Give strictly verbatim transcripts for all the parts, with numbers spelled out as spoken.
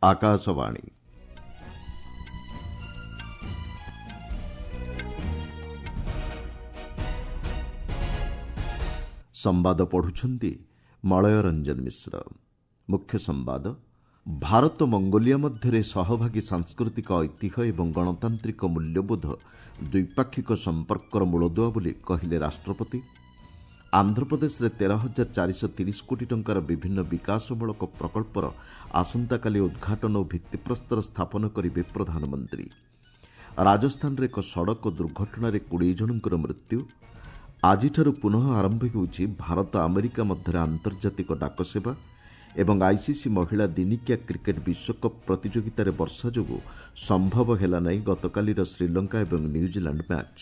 ଆକାଶବାଣୀ। ସମ୍ବାଦ ପଢୁଛନ୍ତି ମଳୟ ରଞ୍ଜନ ମିଶ୍ର। ମୁଖ୍ୟ ସମ୍ବାଦ। ଭାରତ ମଙ୍ଗୋଲିଆ ମଧ୍ୟରେ ସହଭାଗୀ ସାଂସ୍କୃତିକ ଐତିହ୍ୟ ଏବଂ ଗଣତାନ୍ତ୍ରିକ ମୂଲ୍ୟବୋଧ ଦ୍ୱିପାକ୍ଷିକ ସମ୍ପର୍କର ମୂଳଦୁଆ ବୋଲି କହିଲେ ରାଷ୍ଟ୍ରପତି। ଆନ୍ଧ୍ରପ୍ରଦେଶରେ ତେର ହଜାର ଚାରିଶହ ତିରିଶ କୋଟି ଟଙ୍କାର ବିଭିନ୍ନ ବିକାଶମୂଳକ ପ୍ରକଳ୍ପର ଆସନ୍ତାକାଲି ଉଦ୍ଘାଟନ ଓ ଭିତ୍ତିପ୍ରସ୍ତର ସ୍ଥାପନ କରିବେ ପ୍ରଧାନମନ୍ତ୍ରୀ। ରାଜସ୍ଥାନରେ ଏକ ସଡ଼କ ଦୁର୍ଘଟଣାରେ କୋଡ଼ିଏ ଜଣଙ୍କର ମୃତ୍ୟୁ। ଆଜିଠାରୁ ପୁନଃ ଆରମ୍ଭ ହେଉଛି ଭାରତ ଆମେରିକା ମଧ୍ୟରେ ଆନ୍ତର୍ଜାତିକ ଡାକସେବା। ଏବଂ ଆଇସିସି ମହିଳା ଦିନିକିଆ କ୍ରିକେଟ୍ ବିଶ୍ୱକପ୍ ପ୍ରତିଯୋଗିତାରେ ବର୍ଷା ଯୋଗୁଁ ସମ୍ଭବ ହେଲା ନାହିଁ ଗତକାଲିର ଶ୍ରୀଲଙ୍କା ଏବଂ ନ୍ୟୁଜିଲାଣ୍ଡ ମ୍ୟାଚ୍।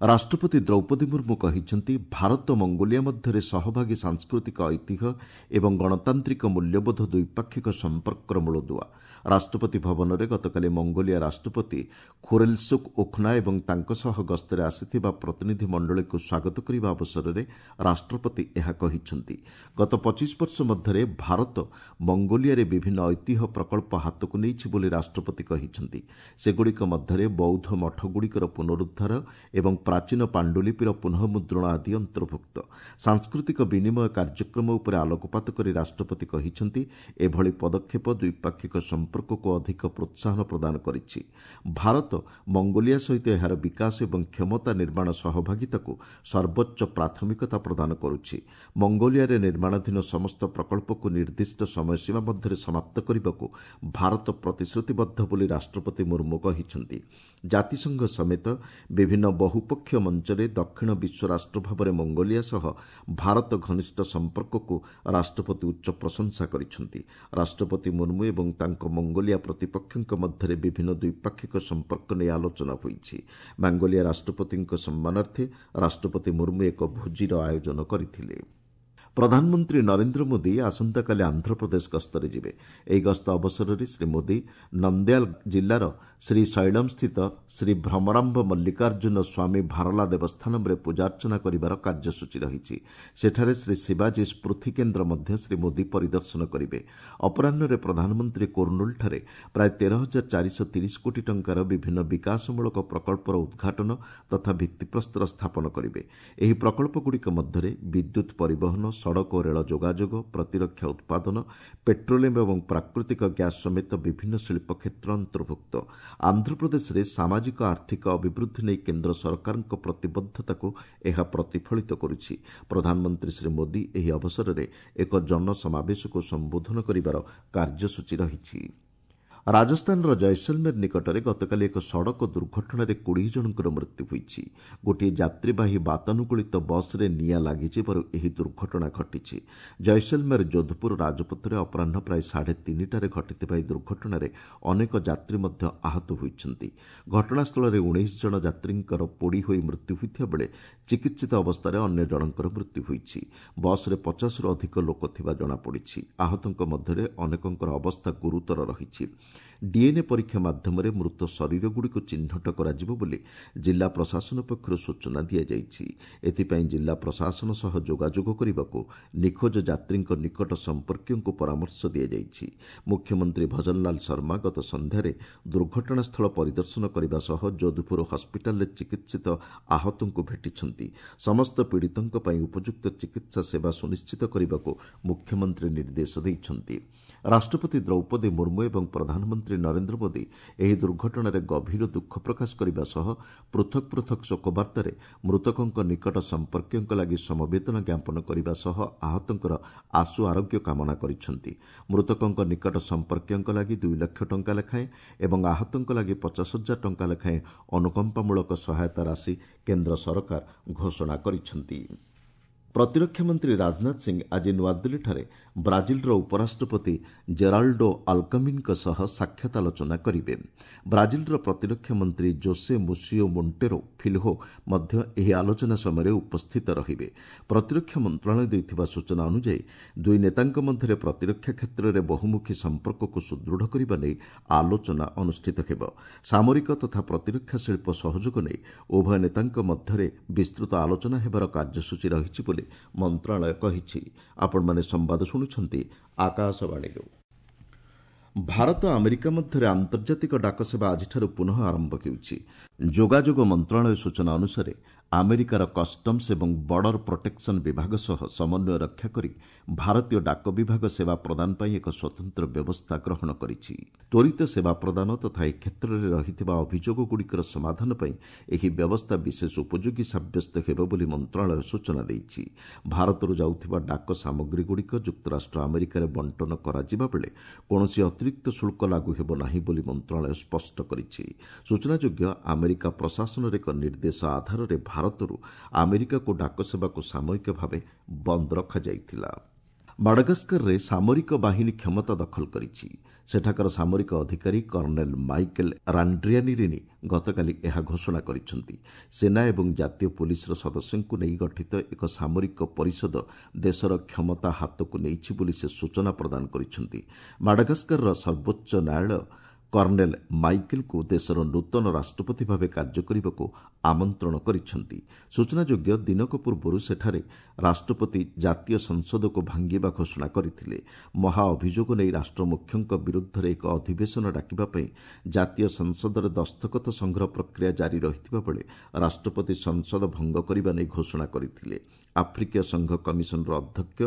ରାଷ୍ଟ୍ରପତି ଦ୍ରୌପଦୀ ମୁର୍ମୁ କହିଛନ୍ତି, ଭାରତ ମଙ୍ଗୋଲିଆ ମଧ୍ୟରେ ସହଭାଗୀ ସାଂସ୍କୃତିକ ଐତିହ୍ୟ ଏବଂ ଗଣତାନ୍ତ୍ରିକ ମୂଲ୍ୟବୋଧ ଦ୍ୱିପାକ୍ଷିକ ସମ୍ପର୍କର ମୂଳଦୁଆ। ରାଷ୍ଟ୍ରପତି ଭବନରେ ଗତକାଲି ମଙ୍ଗୋଲିଆ ରାଷ୍ଟ୍ରପତି ଖୁରେଲସୁଖ ଉଖ୍ନା ଏବଂ ତାଙ୍କ ସହ ଗସ୍ତରେ ଆସିଥିବା ପ୍ରତିନିଧି ମଣ୍ଡଳୀକୁ ସ୍ୱାଗତ କରିବା ଅବସରରେ ରାଷ୍ଟ୍ରପତି ଏହା କହିଛନ୍ତି। ଗତ ପଚିଶ ବର୍ଷ ମଧ୍ୟରେ ଭାରତ ମଙ୍ଗୋଲିଆରେ ବିଭିନ୍ନ ଐତିହ୍ୟ ପ୍ରକଳ୍ପ ହାତକୁ ନେଇଛି ବୋଲି ରାଷ୍ଟ୍ରପତି କହିଛନ୍ତି। ସେଗୁଡ଼ିକ ମଧ୍ୟରେ ବୌଦ୍ଧ ମଠଗୁଡ଼ିକର ପୁନରୁଦ୍ଧାର ଏବଂ ପ୍ରାଚୀନ ପାଣ୍ଡୁଲିପିର ପୁନଃମୁଦ୍ରଣ ଆଦି ଅନ୍ତର୍ଭୁକ୍ତ। ସାଂସ୍କୃତିକ ବିନିମୟ କାର୍ଯ୍ୟକ୍ରମ ଉପରେ ଆଲୋକପାତ କରି ରାଷ୍ଟ୍ରପତି କହିଛନ୍ତି, ଏଭଳି ପଦକ୍ଷେପ ଦ୍ୱିପାକ୍ଷିକ ସମ୍ପର୍କକୁ ଅଧିକ ପ୍ରୋତ୍ସାହନ ପ୍ରଦାନ କରିଛି। ଭାରତ ମଙ୍ଗୋଲିଆ ସହିତ ଏହାର ବିକାଶ ଏବଂ କ୍ଷମତା ନିର୍ମାଣ ସହଭାଗିତାକୁ ସର୍ବୋଚ୍ଚ ପ୍ରାଥମିକତା ପ୍ରଦାନ କରୁଛି। ମଙ୍ଗୋଲିଆରେ ନିର୍ମାଣାଧୀନ ସମସ୍ତ ପ୍ରକଳ୍ପକୁ ନିର୍ଦ୍ଦିଷ୍ଟ ସମୟସୀମା ମଧ୍ୟରେ ସମାପ୍ତ କରିବାକୁ ଭାରତ ପ୍ରତିଶ୍ରୁତିବଦ୍ଧ ବୋଲି ରାଷ୍ଟ୍ରପତି ମୁର୍ମୁ କହିଛନ୍ତି। ଜାତିସଂଘ ସମେତ ବିଭିନ୍ନ ବହୁପକ୍ଷ ମଞ୍ଚରେ ଦକ୍ଷିଣ ବିଶ୍ୱ ରାଷ୍ଟ୍ର ଭାବରେ ମଙ୍ଗୋଲିଆ ସହ ଭାରତ ଘନିଷ୍ଠ ସମ୍ପର୍କକୁ ରାଷ୍ଟ୍ରପତି ଉଚ୍ଚ ପ୍ରଶଂସା କରିଛନ୍ତି। ରାଷ୍ଟ୍ରପତି ମୁର୍ମୁ ଏବଂ ତାଙ୍କ ମଙ୍ଗୋଲିଆ ପ୍ରତିପକ୍ଷଙ୍କ ମଧ୍ୟରେ ବିଭିନ୍ନ ଦ୍ୱିପାକ୍ଷିକ ସମ୍ପର୍କ ନେଇ ଆଲୋଚନା ହୋଇଛି। ମଙ୍ଗୋଲିଆ ରାଷ୍ଟ୍ରପତିଙ୍କ ସମ୍ମାନାର୍ଥେ ରାଷ୍ଟ୍ରପତି ମୁର୍ମୁ ଏକ ଭୋଜିର ଆୟୋଜନ କରିଥିଲେ। ପ୍ରଧାନମନ୍ତ୍ରୀ ନରେନ୍ଦ୍ର ମୋଦି ଆସନ୍ତାକାଲି ଆନ୍ଧ୍ରପ୍ରଦେଶ ଗସ୍ତରେ ଯିବେ। ଏହି ଗସ୍ତ ଅବସରରେ ଶ୍ରୀ ମୋଦି ନନ୍ଦ୍ୟାଲ ଜିଲ୍ଲାର ଶ୍ରୀଶୈଳମ୍ସ୍ଥିତ ଶ୍ରୀ ଭ୍ରମରାମ୍ବ ମଲ୍ଲିକାର୍ଜୁନ ସ୍ୱାମୀ ଭାରଲା ଦେବସ୍ଥାନମ୍ରେ ପୂଜାର୍ଚ୍ଚନା କରିବାର କାର୍ଯ୍ୟସୂଚୀ ରହିଛି। ସେଠାରେ ଶ୍ରୀ ଶିବାଜୀ ସ୍ମୃତି କେନ୍ଦ୍ର ମଧ୍ୟ ଶ୍ରୀ ମୋଦି ପରିଦର୍ଶନ କରିବେ। ଅପରାହ୍ନରେ ପ୍ରଧାନମନ୍ତ୍ରୀ କୁର୍ଣ୍ଣୁଲଠାରେ ପ୍ରାୟ ତେର ହଜାର ଚାରିଶହ ତିରିଶ କୋଟି ଟଙ୍କାର ବିଭିନ୍ନ ବିକାଶମୂଳକ ପ୍ରକଳ୍ପର ଉଦ୍ଘାଟନ ତଥା ଭିତ୍ତିପ୍ରସ୍ତର ସ୍ଥାପନ କରିବେ। ଏହି ପ୍ରକଳ୍ପଗୁଡ଼ିକ ମଧ୍ୟରେ ବିଦ୍ୟୁତ୍ ପରିବହନ, ସଡ଼କ ଓ ରେଳ ଯୋଗାଯୋଗ, ପ୍ରତିରକ୍ଷା ଉତ୍ପାଦନ, ପେଟ୍ରୋଲିୟମ୍ ଏବଂ ପ୍ରାକୃତିକ ଗ୍ୟାସ୍ ସମେତ ବିଭିନ୍ନ ଶିଳ୍ପ କ୍ଷେତ୍ର ଅନ୍ତର୍ଭୁକ୍ତ। ଆନ୍ଧ୍ରପ୍ରଦେଶରେ ସାମାଜିକ ଆର୍ଥିକ ଅଭିବୃଦ୍ଧି ନେଇ କେନ୍ଦ୍ର ସରକାରଙ୍କ ପ୍ରତିବଦ୍ଧତାକୁ ଏହା ପ୍ରତିଫଳିତ କରୁଛି। ପ୍ରଧାନମନ୍ତ୍ରୀ ଶ୍ରୀ ମୋଦି ଏହି ଅବସରରେ ଏକ ଜନସମାବେଶକୁ ସମ୍ବୋଧନ କରିବାର କାର୍ଯ୍ୟସୂଚୀ ରହିଛି। ରାଜସ୍ଥାନର ଜୈସଲମେର ନିକଟରେ ଗତକାଲି ଏକ ସଡ଼କ ଦୁର୍ଘଟଣାରେ କୋଡ଼ିଏ ଜଣଙ୍କର ମୃତ୍ୟୁ ହୋଇଛି। ଗୋଟିଏ ଯାତ୍ରୀବାହୀ ବାତାନୁକୂଳିତ ବସ୍ରେ ନିଆଁ ଲାଗିଯିବାରୁ ଏହି ଦୁର୍ଘଟଣା ଘଟିଛି। ଜୈସଲମେର ଯୋଧପୁର ରାଜପଥରେ ଅପରାହ୍ନ ପ୍ରାୟ ସାଢ଼େ ତିନିଟାରେ ଘଟିଥିବା ଏହି ଦୁର୍ଘଟଣାରେ ଅନେକ ଯାତ୍ରୀ ମଧ୍ୟ ଆହତ ହୋଇଛନ୍ତି। ଘଟଣାସ୍ଥଳରେ ଉଣେଇଶ ଜଣ ଯାତ୍ରୀଙ୍କର ପୋଡ଼ି ହୋଇ ମୃତ୍ୟୁ ହୋଇଥିବା ବେଳେ ଚିକିତ୍ସିତ ଅବସ୍ଥାରେ ଅନ୍ୟ ଜଣଙ୍କର ମୃତ୍ୟୁ ହୋଇଛି। ବସ୍ରେ ପଚାଶରୁ ଅଧିକ ଲୋକ ଥିବା ଜଣାପଡ଼ିଛି। ଆହତଙ୍କ ମଧ୍ୟରେ ଅନେକଙ୍କର ଅବସ୍ଥା ଗୁରୁତର ରହିଛି। ଡିଏନ୍ଏ ପରୀକ୍ଷା ମାଧ୍ୟମରେ ମୃତ ଶରୀରଗୁଡ଼ିକୁ ଚିହ୍ନଟ କରାଯିବ ବୋଲି ଜିଲ୍ଲା ପ୍ରଶାସନ ପକ୍ଷରୁ ସୂଚନା ଦିଆଯାଇଛି। ଏଥିପାଇଁ ଜିଲ୍ଲା ପ୍ରଶାସନ ସହ ଯୋଗାଯୋଗ କରିବାକୁ ନିଖୋଜ ଯାତ୍ରୀଙ୍କ ନିକଟ ସମ୍ପର୍କୀୟଙ୍କୁ ପରାମର୍ଶ ଦିଆଯାଇଛି। ମୁଖ୍ୟମନ୍ତ୍ରୀ ଭଜନଲାଲ ଶର୍ମା ଗତ ସନ୍ଧ୍ୟାରେ ଦୁର୍ଘଟଣାସ୍ଥଳ ପରିଦର୍ଶନ କରିବା ସହ ଯୋଧପୁର ହସ୍ପିଟାଲରେ ଚିକିତ୍ସିତ ଆହତଙ୍କୁ ଭେଟିଛନ୍ତି। ସମସ୍ତ ପୀଡ଼ିତଙ୍କ ପାଇଁ ଉପଯୁକ୍ତ ଚିକିତ୍ସା ସେବା ସୁନିଶ୍ଚିତ କରିବାକୁ ମୁଖ୍ୟମନ୍ତ୍ରୀ ନିର୍ଦ୍ଦେଶ ଦେଇଛନ୍ତି। ରାଷ୍ଟ୍ରପତି ଦ୍ରୌପଦୀ ମୁର୍ମୁ ଏବଂ ପ୍ରଧାନମନ୍ତ୍ରୀ ନରେନ୍ଦ୍ର ମୋଦି ଏହି ଦୁର୍ଘଟଣାରେ ଗଭୀର ଦୁଃଖ ପ୍ରକାଶ କରିବା ସହ ପୃଥକ୍ ପୃଥକ୍ ଶୋକବାର୍ତ୍ତାରେ ମୃତକଙ୍କ ନିକଟ ସମ୍ପର୍କୀୟଙ୍କ ଲାଗି ସମବେଦନା ଜ୍ଞାପନ କରିବା ସହ ଆହତଙ୍କର ଆଶୁ ଆରୋଗ୍ୟ କାମନା କରିଛନ୍ତି। ମୃତକଙ୍କ ନିକଟ ସମ୍ପର୍କୀୟଙ୍କ ଲାଗି ଦୁଇ ଲକ୍ଷ ଟଙ୍କା ଲେଖାଏଁ ଏବଂ ଆହତଙ୍କ ଲାଗି ପଚାଶ ହଜାର ଟଙ୍କା ଲେଖାଏଁ ଅନୁକମ୍ପାମୂଳକ ସହାୟତା ରାଶି କେନ୍ଦ୍ର ସରକାର ଘୋଷଣା କରିଛନ୍ତି। ପ୍ରତିରକ୍ଷା ମନ୍ତ୍ରୀ ରାଜନାଥ ସିଂ ଆଜି ନୂଆଦିଲ୍ଲୀଠାରେ ବ୍ରାଜିଲର ଉପରାଷ୍ଟ୍ରପତି ଜେରାଲ୍ଡୋ ଆଲ୍କମିନ୍ଙ୍କ ସହ ସାକ୍ଷାତ ଆଲୋଚନା କରିବେ। ବ୍ରାଜିଲର ପ୍ରତିରକ୍ଷା ମନ୍ତ୍ରୀ ଜୋସେ ମୁସିଓ ମୋଣ୍ଟେରୋ ଫିଲ୍ହୋ ମଧ୍ୟ ଏହି ଆଲୋଚନା ସମୟରେ ଉପସ୍ଥିତ ରହିବେ। ପ୍ରତିରକ୍ଷା ମନ୍ତ୍ରଣାଳୟ ଦେଇଥିବା ସୂଚନା ଅନୁଯାୟୀ ଦୁଇ ନେତାଙ୍କ ମଧ୍ୟରେ ପ୍ରତିରକ୍ଷା କ୍ଷେତ୍ରରେ ବହୁମୁଖୀ ସମ୍ପର୍କକୁ ସୁଦୃଢ଼ କରିବା ନେଇ ଆଲୋଚନା ଅନୁଷ୍ଠିତ ହେବ। ସାମରିକ ତଥା ପ୍ରତିରକ୍ଷା ଶିଳ୍ପ ସହଯୋଗ ନେଇ ଉଭୟ ନେତାଙ୍କ ମଧ୍ୟରେ ବିସ୍ତୃତ ଆଲୋଚନା ହେବାର କାର୍ଯ୍ୟସୂଚୀ ରହିଛି ବୋଲି ବୋଲି ମନ୍ତ୍ରଣାଳୟ କହିଛି। ଆପଣମାନେ ସମ୍ବାଦ ଶୁଣୁଛନ୍ତି ଆକାଶବାଣୀରୁ। ଭାରତ ଆମେରିକା ମଧ୍ୟରେ ଆନ୍ତର୍ଜାତିକ ଡାକସେବା ଆଜିଠାରୁ ପୁନଃ ଆରମ୍ଭ ହେଉଛି। ଯୋଗାଯୋଗ ମନ୍ତ୍ରଣାଳୟ ସୂଚନା ଅନୁସାରେ ଆମେରିକାର କଷ୍ଟମ୍ସ ଏବଂ ବର୍ଡର ପ୍ରୋଟେକ୍ସନ୍ ବିଭାଗ ସହ ସମନ୍ୱୟ ରକ୍ଷା କରି ଭାରତୀୟ ଡାକ ବିଭାଗ ସେବା ପ୍ରଦାନ ପାଇଁ ଏକ ସ୍ୱତନ୍ତ୍ର ବ୍ୟବସ୍ଥା ଗ୍ରହଣ କରିଛି। ତ୍ୱରିତ ସେବା ପ୍ରଦାନ ତଥା ଏ କ୍ଷେତ୍ରରେ ରହିଥିବା ଅଭିଯୋଗଗୁଡ଼ିକର ସମାଧାନ ପାଇଁ ଏହି ବ୍ୟବସ୍ଥା ବିଶେଷ ଉପଯୋଗୀ ସାବ୍ୟସ୍ତ ହେବ ବୋଲି ମନ୍ତ୍ରଣାଳୟ ସୂଚନା ଦେଇଛି। ଭାରତରୁ ଯାଉଥିବା ଡାକ ସାମଗ୍ରୀଗୁଡ଼ିକ ଯୁକ୍ତରାଷ୍ଟ୍ର ଆମେରିକାରେ ବଣ୍ଟନ କରାଯିବା ବେଳେ କୌଣସି ଅତିରିକ୍ତ ଶୁଳ୍କ ଲାଗୁ ହେବ ନାହିଁ ବୋଲି ମନ୍ତ୍ରଣାଳୟ ସ୍ପଷ୍ଟ କରିଛି। ସୂଚନାଯୋଗ୍ୟ, ଆମେରିକା ପ୍ରଶାସନର ଏକ ନିର୍ଦ୍ଦେଶ ଆଧାରରେ ଭାରତରୁ ଆମେରିକାକୁ ଡାକସେବାକୁ ସାମୟିକ ଭାବେ ବନ୍ଦ ରଖାଯାଇଥିଲା। ମାଡାଗାସ୍କରରେ ସାମରିକ ବାହିନୀ କ୍ଷମତା ଦଖଲ କରିଛି। ସେଠାକାର ସାମରିକ ଅଧିକାରୀ କର୍ଣ୍ଣେଲ ମାଇକେଲ ରାଣ୍ଡ୍ରିଆନିରିନି ଗତକାଲି ଏହା ଘୋଷଣା କରିଛନ୍ତି। ସେନା ଏବଂ ଜାତୀୟ ପୋଲିସର ସଦସ୍ୟଙ୍କୁ ନେଇ ଗଠିତ ଏକ ସାମରିକ ପରିଷଦ ଦେଶର କ୍ଷମତା ହାତକୁ ନେଇଛି ବୋଲି ସେ ସୂଚନା ପ୍ରଦାନ କରିଛନ୍ତି। ମାଡାଗାସ୍କରର ସର୍ବୋଚ୍ଚ ନ୍ୟାୟାଳୟ କର୍ଣ୍ଣେଲ ମାଇକେଲଙ୍କୁ ଦେଶର ନୂତନ ରାଷ୍ଟ୍ରପତି ଭାବେ କାର୍ଯ୍ୟ କରିବାକୁ ଆମନ୍ତ୍ରଣ କରିଛନ୍ତି। ସୂଚନାଯୋଗ୍ୟ, ଦିନକ ପୂର୍ବରୁ ସେଠାରେ ରାଷ୍ଟ୍ରପତି ଜାତୀୟ ସଂସଦକୁ ଭାଙ୍ଗିବା ଘୋଷଣା କରିଥିଲେ। ମହାଅଭିଯୋଗ ନେଇ ରାଷ୍ଟ୍ରମୁଖ୍ୟଙ୍କ ବିରୁଦ୍ଧରେ ଏକ ଅଧିବେଶନ ଡାକିବା ପାଇଁ ଜାତୀୟ ସଂସଦରେ ଦସ୍ତଖତ ସଂଗ୍ରହ ପ୍ରକ୍ରିୟା ଜାରି ରହିଥିବା ବେଳେ ରାଷ୍ଟ୍ରପତି ସଂସଦ ଭଙ୍ଗ କରିବା ନେଇ ଘୋଷଣା କରିଥିଲେ। ଆଫ୍ରିକୀୟ ସଂଘ କମିଶନର ଅଧ୍ୟକ୍ଷ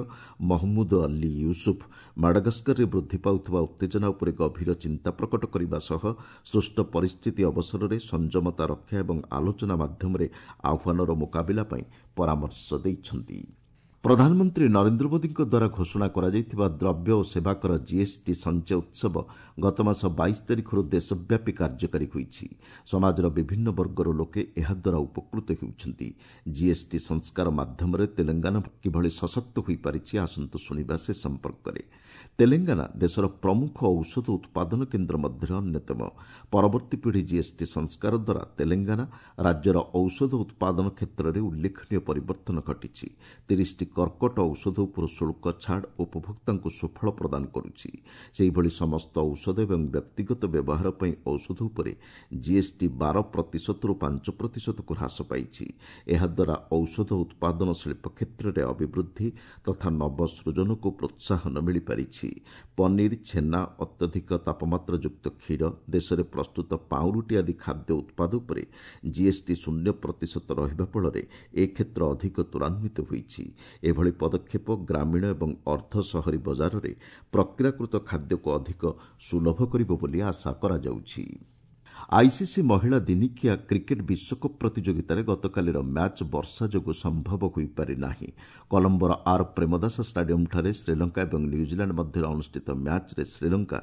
ମହମ୍ମୁଦ ଅଲ୍ଲୀ ୟୁସୁଫ ମାଡାଗାସ୍କରରେ ବୃଦ୍ଧି ପାଉଥିବା ଉତ୍ତେଜନା ଉପରେ ଗଭୀର ଚିନ୍ତା ପ୍ରକଟ କରିବା ସହ ସୃଷ୍ଟ ପରିସ୍ଥିତି ଅବସରରେ ସଂଯମତା ରକ୍ଷା ଏବଂ ଆଲୋଚନା ମାଧ୍ୟମରେ ଆହ୍ୱାନର ମୁକାବିଲା ପାଇଁ ପରାମର୍ଶ ଦେଇଛନ୍ତି। ପ୍ରଧାନମନ୍ତ୍ରୀ ନରେନ୍ଦ୍ର ମୋଦିଙ୍କ ଦ୍ୱାରା ଘୋଷଣା କରାଯାଇଥିବା ଦ୍ରବ୍ୟ ଓ ସେବାକର ଜିଏସ୍ଟି ସଞ୍ଚୟ ଉତ୍ସବ ଗତମାସ ବାଇଶ ତାରିଖରୁ ଦେଶବ୍ୟାପୀ କାର୍ଯ୍ୟକାରୀ ହୋଇଛି। ସମାଜର ବିଭିନ୍ନ ବର୍ଗର ଲୋକେ ଏହାଦ୍ୱାରା ଉପକୃତ ହେଉଛନ୍ତି। ଜିଏସ୍ଟି ସଂସ୍କାର ମାଧ୍ୟମରେ ତେଲେଙ୍ଗାନା କିଭଳି ସଶକ୍ତ ହୋଇପାରିଛି, ଆସନ୍ତୁ ଶୁଣିବା ସେ ସମ୍ପର୍କରେ। ତେଲେଙ୍ଗାନା ଦେଶର ପ୍ରମୁଖ ଔଷଧ ଉତ୍ପାଦନ କେନ୍ଦ୍ର ମଧ୍ୟରେ ଅନ୍ୟତମ। ପରବର୍ତ୍ତୀ ପିଢ଼ି ଜିଏସ୍ଟି ସଂସ୍କାର ଦ୍ୱାରା ତେଲେଙ୍ଗାନା ରାଜ୍ୟର ଔଷଧ ଉତ୍ପାଦନ କ୍ଷେତ୍ରରେ ଉଲ୍ଲେଖନୀୟ ପରିବର୍ତ୍ତନ ଘଟିଛି। ତିରିଶଟି କର୍କଟ ଔଷଧ ଉପରୁ ଶୁଳ୍କ ଛାଡ଼ ଉପଭୋକ୍ତାଙ୍କୁ ସୁଫଳ ପ୍ରଦାନ କରୁଛି। ସେହିଭଳି ସମସ୍ତ ଔଷଧ ଏବଂ ବ୍ୟକ୍ତିଗତ ବ୍ୟବହାର ପାଇଁ ଔଷଧ ଉପରେ ଜିଏସ୍ଟି ବାର ପ୍ରତିଶତରୁ ପାଞ୍ଚ ପ୍ରତିଶତକୁ ହ୍ରାସ ପାଇଛି। ଏହାଦ୍ୱାରା ଔଷଧ ଉତ୍ପାଦନ ଶିଳ୍ପ କ୍ଷେତ୍ରରେ ଅଭିବୃଦ୍ଧି ତଥା ନବସୃଜନକୁ ପ୍ରୋତ୍ସାହନ ମିଳିପାରିଛି। ପନିର, ଛେନା, ଅତ୍ୟଧିକ ତାପମାତ୍ରାଯୁକ୍ତ କ୍ଷୀର, ଦେଶରେ ପ୍ରସ୍ତୁତ ପାଉଁରୁଟି ଆଦି ଖାଦ୍ୟ ଉତ୍ପାଦ ଉପରେ ଜିଏସ୍ଟି ଶୂନ୍ୟ ପ୍ରତିଶତ ରହିବା ଫଳରେ ଏ କ୍ଷେତ୍ର ଅଧିକ ତ୍ୱରାନ୍ୱିତ ହୋଇଛି। ଏଭଳି ପଦକ୍ଷେପ ଗ୍ରାମୀଣ ଏବଂ ଅର୍ଦ୍ଧ ସହରୀ ବଜାରରେ ପ୍ରକ୍ରିୟାକୃତ ଖାଦ୍ୟକୁ ଅଧିକ ସୁଲଭ କରିବ ବୋଲି ଆଶା କରାଯାଉଛି। ଆଇସିସି ମହିଳା ଦିନିକିଆ କ୍ରିକେଟ୍ ବିଶ୍ୱକପ୍ ପ୍ରତିଯୋଗିତାରେ ଗତକାଲିର ମ୍ୟାଚ୍ ବର୍ଷା ଯୋଗୁଁ ସମ୍ଭବ ହୋଇପାରି ନାହିଁ। କଲମ୍ବୋର ଆର୍ ପ୍ରେମଦାସ ଷ୍ଟାଡିୟମ୍ଠାରେ ଶ୍ରୀଲଙ୍କା ଏବଂ ନ୍ୟୁଜିଲାଣ୍ଡ ମଧ୍ୟରେ ଅନୁଷ୍ଠିତ ମ୍ୟାଚ୍ରେ ଶ୍ରୀଲଙ୍କା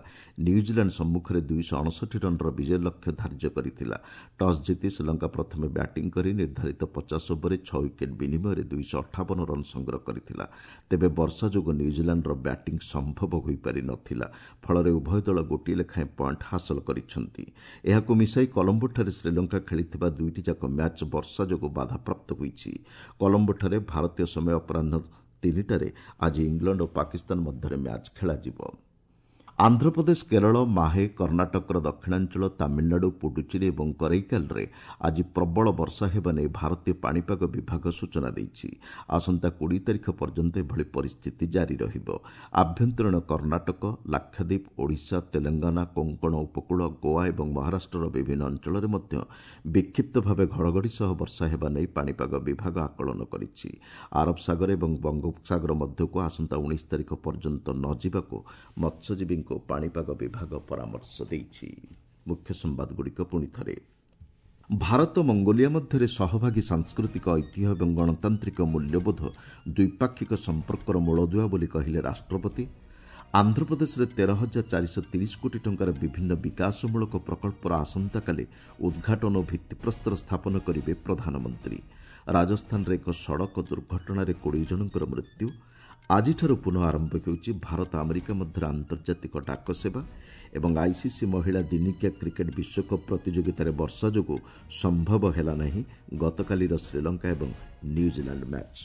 ନ୍ୟୁଜିଲାଣ୍ଡ ସମ୍ମୁଖରେ ଦୁଇଶହ ଅଣଷଠି ରନ୍ର ବିଜୟ ଲକ୍ଷ୍ୟ ଧାର୍ଯ୍ୟ କରିଥିଲା। ଟସ୍ ଜିତି ଶ୍ରୀଲଙ୍କା ପ୍ରଥମେ ବ୍ୟାଟିଂ କରି ନିର୍ଦ୍ଧାରିତ ପଚାଶ ଓଭରରେ ଛଅ ୱିକେଟ୍ ବିନିମୟରେ ଦୁଇଶହ ଅଠାବନ ରନ୍ ସଂଗ୍ରହ କରିଥିଲା। ତେବେ ବର୍ଷା ଯୋଗୁଁ ନ୍ୟୁଜିଲାଣ୍ଡର ବ୍ୟାଟିଂ ସମ୍ଭବ ହୋଇପାରି ନଥିଲା। ଫଳରେ ଉଭୟ ଦଳ ଗୋଟିଏ ଲେଖାଏଁ ପଏଣ୍ଟ ହାସଲ କରିଛନ୍ତି। ଏହାକୁ ମିଶାଇ କଲମ୍ବୋଠାରେ ଶ୍ରୀଲଙ୍କା ଖେଳିଥିବା ଦୁଇଟି ଯାକ ମ୍ୟାଚ୍ ବର୍ଷା ଯୋଗୁଁ ବାଧାପ୍ରାପ୍ତ ହୋଇଛି। କଲମ୍ବୋଠାରେ ଭାରତୀୟ ସମୟ ଅପରାହ୍ନ ତିନିଟାରେ ଆଜି ଇଂଲଣ୍ଡ ଓ ପାକିସ୍ତାନ ମଧ୍ୟରେ ମ୍ୟାଚ୍ ଖେଳାଯିବ। ଆନ୍ଧ୍ରପ୍ରଦେଶ, କେରଳ, ମାହେ, କର୍ଣ୍ଣାଟକର ଦକ୍ଷିଣାଞ୍ଚଳ, ତାମିଲନାଡୁ, ପୁଡୁଚେରୀ ଏବଂ କରୈକାଲରେ ଆଜି ପ୍ରବଳ ବର୍ଷା ହେବା ନେଇ ଭାରତୀୟ ପାଣିପାଗ ବିଭାଗ ସୂଚନା ଦେଇଛି। ଆସନ୍ତା କୋଡ଼ିଏ ତାରିଖ ପର୍ଯ୍ୟନ୍ତ ଏଭଳି ପରିସ୍ଥିତି ଜାରି ରହିବ। ଆଭ୍ୟନ୍ତରୀଣ କର୍ଣ୍ଣାଟକ, ଲାକ୍ଷାଦ୍ୱୀପ, ଓଡ଼ିଶା, ତେଲେଙ୍ଗାନା, କୋଙ୍କଣ ଉପକୂଳ, ଗୋଆ ଏବଂ ମହାରାଷ୍ଟ୍ରର ବିଭିନ୍ନ ଅଞ୍ଚଳରେ ମଧ୍ୟ ବିକ୍ଷିପ୍ତ ଭାବେ ଘଡ଼ଘଡ଼ି ସହ ବର୍ଷା ହେବା ନେଇ ପାଣିପାଗ ବିଭାଗ ଆକଳନ କରିଛି। ଆରବ ସାଗର ଏବଂ ବଙ୍ଗୋପସାଗର ମଧ୍ୟକୁ ଆସନ୍ତା ଉଣେଇଶ ତାରିଖ ପର୍ଯ୍ୟନ୍ତ ନ ଯିବାକୁ ମତ୍ସ୍ୟଜୀବୀଙ୍କୁ ପାଣିପାଗ ବିଭାଗ ପରାମର୍ଶ ଦେଇଛି। ମୁଖ୍ୟ ସମ୍ବାଦଗୁଡ଼ିକ ପୁଣି ଥରେ। ଭାରତ ମଙ୍ଗୋଲିଆ ମଧ୍ୟରେ ସହଭାଗୀ ସାଂସ୍କୃତିକ ଐତିହ୍ୟ ଏବଂ ଗଣତାନ୍ତ୍ରିକ ମୂଲ୍ୟବୋଧ ଦ୍ୱିପାକ୍ଷିକ ସମ୍ପର୍କର ମୂଳଦୁଆ ବୋଲି କହିଲେ ରାଷ୍ଟ୍ରପତି। ଆନ୍ଧ୍ରପ୍ରଦେଶରେ ତେର ହଜାର ଚାରିଶହ ତିରିଶ କୋଟି ଟଙ୍କାର ବିଭିନ୍ନ ବିକାଶମୂଳକ ପ୍ରକଳ୍ପର ଆସନ୍ତାକାଲି ଉଦ୍ଘାଟନ ଓ ଭିତ୍ତିପ୍ରସ୍ତର ସ୍ଥାପନ କରିବେ ପ୍ରଧାନମନ୍ତ୍ରୀ। ରାଜସ୍ଥାନରେ ଏକ ସଡ଼କ ଦୁର୍ଘଟଣାରେ କୋଡ଼ିଏ ଜଣଙ୍କର ମୃତ୍ୟୁ। ଆଜିଠାରୁ ପୁନଃ ଆରମ୍ଭ ହେଉଛି ଭାରତ ଆମେରିକା ମଧ୍ୟରେ ଆନ୍ତର୍ଜାତିକ ଡାକ ସେବା ଏବଂ ଆଇସିସି ମହିଳା ଦିନିକିଆ କ୍ରିକେଟ୍ ବିଶ୍ୱକପ୍ ପ୍ରତିଯୋଗିତାରେ ବର୍ଷା ଯୋଗୁଁ ସମ୍ଭବ ହେଲା ନାହିଁ ଗତକାଲିର ଶ୍ରୀଲଙ୍କା ଏବଂ ନ୍ୟୁଜିଲାଣ୍ଡ ମ୍ୟାଚ୍।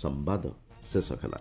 ସମ୍ବାଦ ଶେଷ ହେଲା।